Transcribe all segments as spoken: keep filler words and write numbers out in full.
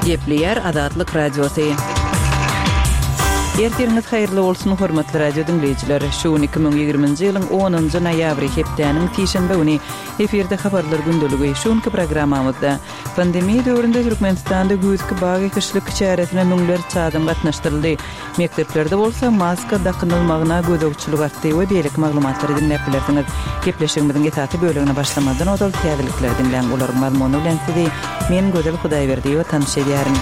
Gepleýär Azatlyk Radiosy. Ertiriňiz haýyrly bolsun, hormatly radio diňleýjiler. Şu gün iki müň ýigriminji ýylyň onunjy noýabry, hepdäniň sişenbe güni. Efirde habarlar gündeligi. Şu günki programmamyzda pandemiýa döwründe Türkmenistanda güýzki bag ekişlik çäresine müňlerçe adam gatnaşdyryldy. Mekdeplerde bolsa maska dakynylmagyna gözegçilik artdy we beýleki maglumatlary diňläp bilersiňiz. Gepleşigimiziň esasy bölegine başlamazdan ozal täzelikleri diňläň. Olaryň mazmuny bilen sizi men Gözel Hudaýberdiýewa tanyş edýärin.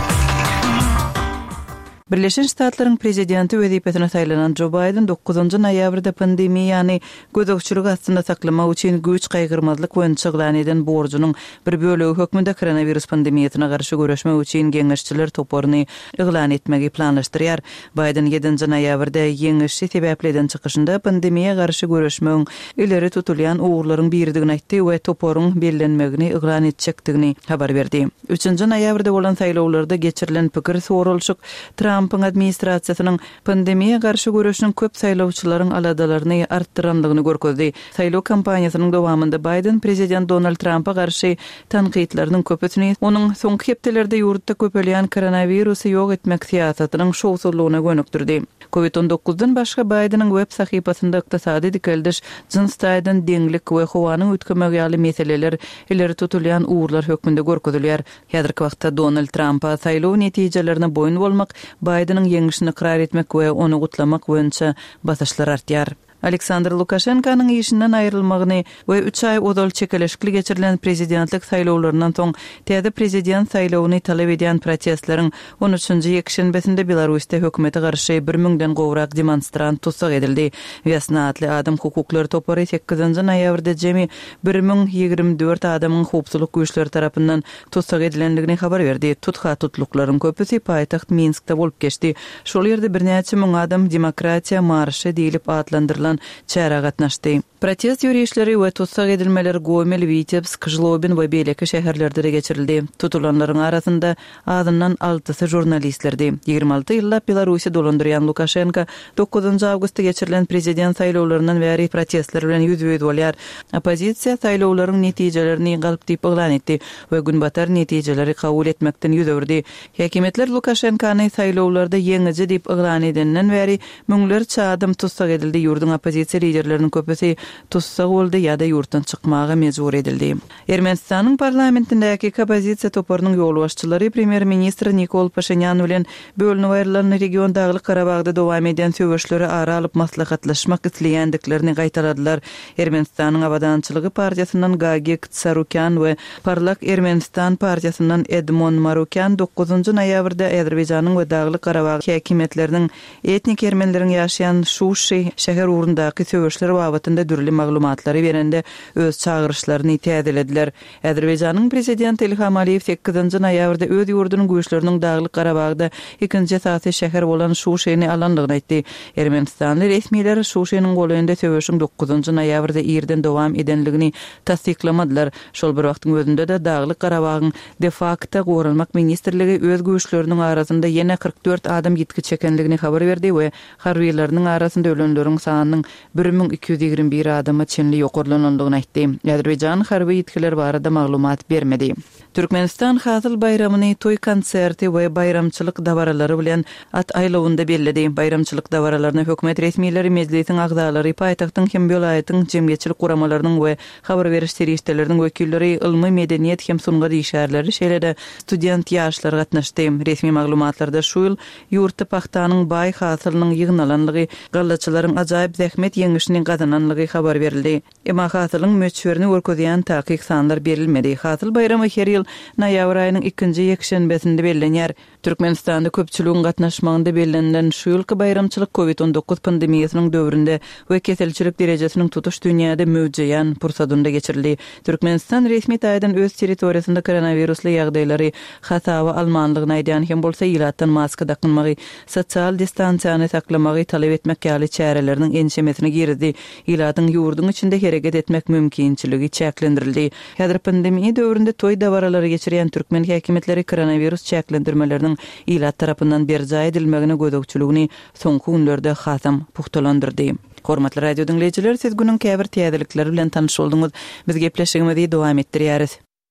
Birleşen Ştatlaryň prezidenti wezipesine saýlanan Jo Baýden dokuzynjy noýabrda pandemiýany gözegçilik astynda saklamak üçin güýç gaýgyrmazlyk boýunça yglan eden borjunyň bir bölegi hökmünde koronawirus pandemiýasyna garşy göreşmek üçin geňeşçiler toparyny yglan etmegi planlaşdyrýar. Baýden ýedinji noýabrda ýeňişi sebäpli eden çykyşynda pandemiýa garşy göreşmegiň ileri tutulýan ugurlaryň biridigini aýtdy we toparyň bellenmegini yglan etjekdigini habar berdi. Üçünji noýabrda bolan saýlawlarda geçirilen pikir soralyşyk Trampyň administrasiýasynyň pandemiýa garşy göreşiniň köp saýlawçylaryň aladalaryny artdyrandygyny görkezdi. Saýlaw kampaniýasynyň dowamynda Baýden prezident Donald Trampa garşy tankytlarynyň köpüsini onuň soňky hepdelerde ýurtda köpelýän koronawirusy ýok etmek syýasatynyň şowsuzlygyna gönükdirdi. Covid on dokuzdan başga Baýdeniň web sahypasynda ykdysady dikeldiş, jyns taýdan deňlik we howanyň üýtgemegi ýaly meseleler ileri tutulýan ugurlar hökmünde görkezilýär. Häzirki wagtda Donald Trampa saýlaw netijelerine boýun bolmak, Baýdeniň ýeňişini ykrar etmek we ony gutlamak boýunça basyşlar artýar. Aleksandr Lukaşenkanyň işinden aýrylmagyny we üç aý ozal çekeleşikli geçirilen prezidentlik saýlawlaryndan soň täze prezident saýlawyny talap edýän protestleriň on üçünji ýekşenbesinde Belarusda hökümete garşy bir müňden gowrak demonstrant tussag edildi. Wesna atly adam hukuklary topary sekizinji noýabrda jemi bir müň ýigrimi dört adamyň howpsuzlyk güýçleri tarapyndan tussag edilendigini habar berdi. Tutha tutluklaryň köpüsi paýtagt Minskde bolup geçdi. Şol ýerde birnäçe müň adam demokratiýa marşy diýlip atlandyrylan çärä gatnaşdy. Protest ýörişleri we tussag edilmeler Gomel, Witebsk, Žlobin we beýleki şäherlerde-de geçirildi. Tutulanlaryň arasynda azyndan altysy žurnalistlerdi. Ýigrimi alty ýyllap Belarusy dolandyrýan Lukaşenko dokuzynjy awgustda geçirilen prezident saýlawlaryndan bäri protestler bilen ýüzbe-ýüz bolýar. Oppozisiýa saýlawlaryň netijelerini galp diýip yglan etdi we günbatar netijeleri kabul etmekden ýüz öwürdi. Häkimiýetler Lukaşenkany saýlawlarda ýeňiji diýip yglan edenden bäri müňlerçe adam tussag edildi. Ýurduň oppozisiýa liderleriniň köpüsi tussag boldy ýa-da ýurtdan çykmaga mejbur edildi. Ermenistanyň parlamentindäki oppozisiýa toparynyň ýolbaşçylary premýer-ministr Nikol Paşinyan bilen bölünip aýrylan region Daglyk Karabagda dowam edýän söweşleri ara alyp maslahatlaşmak isleýändiklerini gaýtaladylar. Ermenistanyň Abadançylygy partiýasyndan Gagik Tsarukyan we Parlak Ermenistan partiýasyndan Edmon Marukyan dokuzynjy noýabrda Azerbaýjanyň we Daglyk Karabag häkimiýetleriniň etnik ermenileriň ýaşaýan Şuşi şäher ugrundaky söweşler babatynda dürli maglumatlary berende öz çagyryşlaryny täzelediler. Azerbaýjanyň prezidenti Ilham Aliýew sekizinji noýabrda öz ýurdunyň güýçleriniň Daglyk Karabagda ikinji esasy şäher bolan Şuşini alandygyny aýtdy. Ermenistanly resmiler Şuşiniň golaýynda söweşiň dokuzynjy noýabrda irden dowam edenligini tassyklamadylar. Şol bir wagtyň özünde-de Daglyk Karabagyň de facto goranmak ministrligi öz güýçleriniň arasynda ýene kyrk dört adam ýitgi çekenligini habar berdi we harbiýlarynyň arasynda ölenleriň sanynyň bir müň iki ýüz ýigrimi bir adama çenli ýokarlanandygyny aýtdy. Azerbaýjan harby ýitgiler barada maglumat bermedi. Türkmenistan hasyl baýramyny toý konserti we baýramçylyk dabaralary bilen at aýlawynda belledi. Baýramçylyk dabaralaryna hökümet resmileri, mejlisiň agzalary, paýtagtyň hem welaýatyň jemgyýetçilik guramalarynyň we habar beriş serişdeleriniň wekilleri, ylmy, medeniýet hem sungat işgärleri, şeýle-de student ýaşlar gatnaşdy. Resmi maglumatlarda şu ýyl ýurtda pahtanyň baý hasylynyň ýygnalanlygy, gallaçylaryň ajaýyp zähmet ýeňişini gazananlygy habar berildi. Emma hasylyň möçberini görkezýän takyk sanlar berilmedi. Hasyl baýramy her ýyl noýabr aýynyň ikinji ýekşenbesinde bellenýär. Türkmenistanda köpçüligiň gatnaşmagynda bellenilen şu ýylky baýramçylyk COVID on dokuz pandemiýasynyň döwründe we keselçilik derejesiniň tutuş dünýäde möwjeýän pursadynda geçirildi. Türkmenistan resmi taýdan öz territoriýasynda koronawirusly ýagdaýlary hasaba almanlygyny aýdýan hem bolsa ilatdan maska dakynmagy, sosial distansiýany saklamagy talap etmek ýaly çäreleriniň ençemesini girdi. Ilatyň ýurduň içinde hereket etmek mümkinçiligi çäklendirildi. Häzir pandemiýa döwründe toý dabaralary geçirýän türkmen häkimiýetleri koronawirus çäklendirmeleriniň ilat tarapyndan berjaý edilmegine gözegçiligini soňky günlerde hasam puhtalandyrdy. Hormatly radio diňleýjiler, siz günüň käbir täzelikleri bilen tanyş bolduňyz. Biz gepleşigimizi dowam etdirýäris.